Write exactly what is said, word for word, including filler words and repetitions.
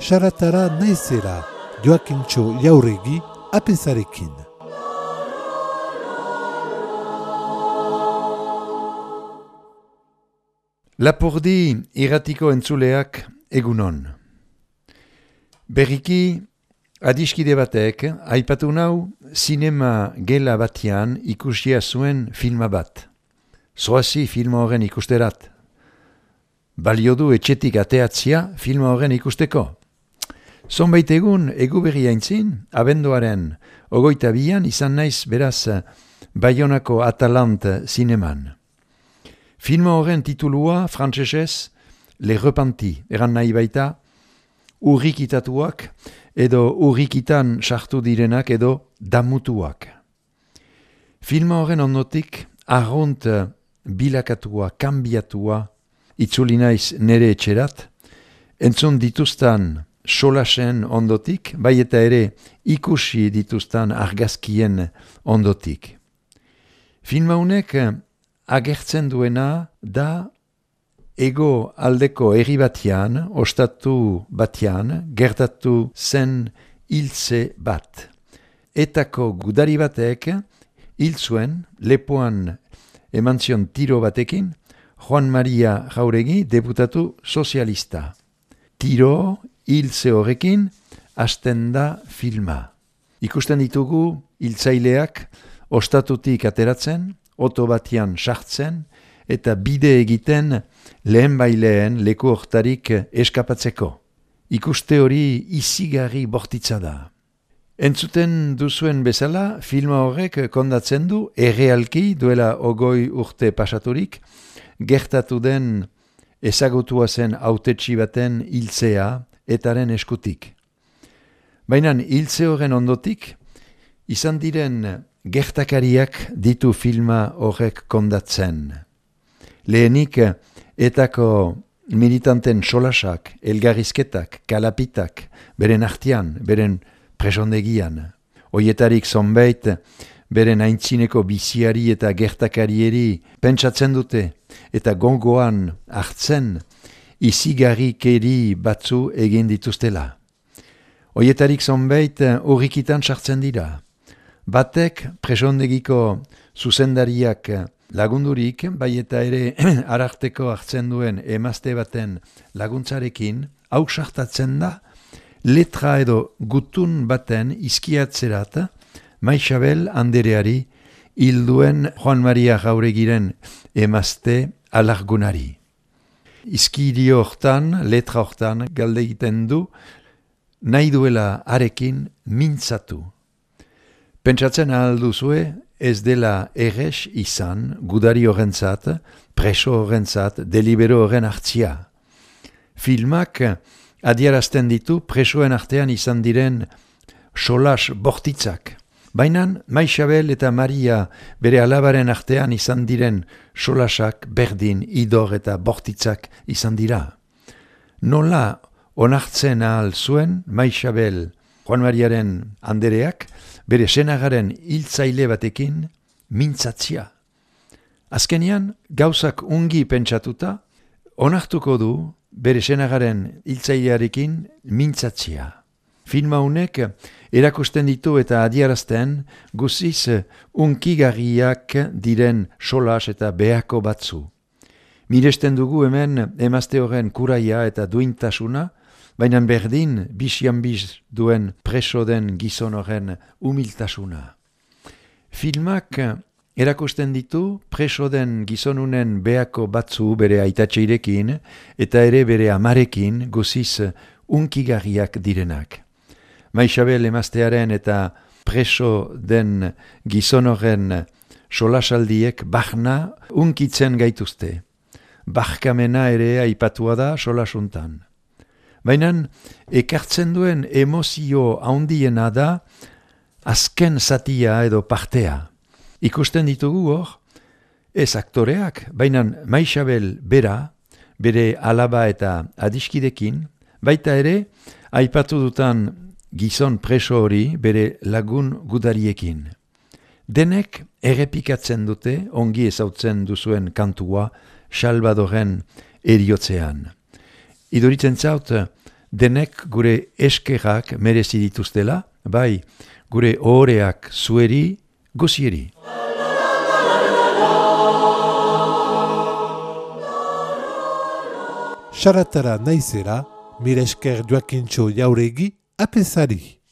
saratara naizera Joakintxo Jauregi apezarekin. Lapurdi irratiko entzuleak egunon. Berriki adiskide batek aipatu nau sinema gela batean ikusia zuen filma bat. Zoazi filma horren ikusterat. Balio du etxetik ateatzia filma horren ikusteko. Zonbait egun egu berri aintzin, abenduaren ogoita bian izan naiz beraz Baionako Atalant zineman. Filma horren titulua frantsesez Le Repenti, eran nahi baita urrikitatuak edo urrikitan sartu direnak edo damutuak. Filma horren ondotik arrunt bilakatua, kanbiatua, itzuli naiz nere etxerat, entzun dituztan solasen ondotik, bai eta ere ikusi dituztan argazkien ondotik. Filma honek agertzen duena da ego aldeko herri batean, ostatu batean, gertatu zen hiltze bat. Etako gudari batek hil zuen lepoan eman zion tiro batekin Juan Maria Jauregi deputatu sozialista. Tiro hiltze horrekin hasten da filma. Ikusten ditugu hiltzaileak ostatutik ateratzen, oto batian sartzen eta bide egiten lehen baileen leku hortarik eskapatzeko. Ikuste hori izigarri bortitza da. Entzuten duzuen bezala, filma horrek kondatzen du errealki duela ogoi urte pasaturik, gertatu den ezagutua zen hautetsi baten hiltzea etaren eskutik. Baina hiltze horren ondotik, izan diren gertakariak ditu filma horrek kondatzen. Lehenik, etako militanten solasak, elgarrizketak, kalapitak, beren artean, beren presondegian. Oietarik zonbait, beren aintzineko biziari eta gertakarieri pentsatzen dute, eta gongoan hartzen, izigarrikeri batzu egin dituztela. Oietarik zonbait, urrikitan sartzen dira. Batek presondegiko zuzendariak lagundurik, bai eta ere ararteko hartzen duen emazte baten laguntzarekin, hau sartatzen da, letra edo gutun baten izkiatzerat, Maixabel andereari hilduen Juan Maria Jauregiren emazte alargunari. Izkidio hortan, letra hortan, galde egiten du, nahi duela arekin mintzatu. Pentsatzen ahal duzue, ez dela errez izan, gudari horrentzat, preso horrentzat, delibero horren hartzia. Filmak adiarazten ditu presoen artean izan diren solas bortitzak. Baina Maixabel eta Maria bere alabaren artean izan diren solasak berdin, idor eta bortitzak izan dira. Nola onartzen ahal zuen Maixabel Juan Mariaren andereak, bere senagaren hiltzaile batekin mintzatzia. Azkenean, gauzak ungi pentsatuta, onartuko du bere senagaren hiltzailearekin mintzatzia. Filma honek erakusten ditu eta adiarazten guziz unkigarriak diren solas eta behako batzu. Miresten dugu hemen emazte horren kuraia eta duintasuna, baina berdin bizian biz duen preso den gizon horren humiltasuna. Filmak erakusten ditu preso den gizonunen behako batzu bere aitatxeirekin eta ere bere amarekin guziz unkigarriak direnak. Maixabel emaztearen eta preso den gizon horren solasaldiek bahna unkitzen gaituzte. Barkamena ere aipatua da solasuntan. Baina ekartzen duen emozio handiena da azken zatia edo partea. Ikusten ditugu hor, ez aktoreak, baina Maixabel bera, bere alaba eta adiskidekin, baita ere, aipatu dutan gizon preso hori bere lagun gudariekin. Denek errepikatzen dute, ongi ezautzen duzuen kantua, Salvadoren eriotzean. Idoritzen zaut, denek gure eskerrak merezi dituztela, bai gure ohoreak zueri, gozieri. Saratara naizera, mire esker Joakintxo Jauregi apezari.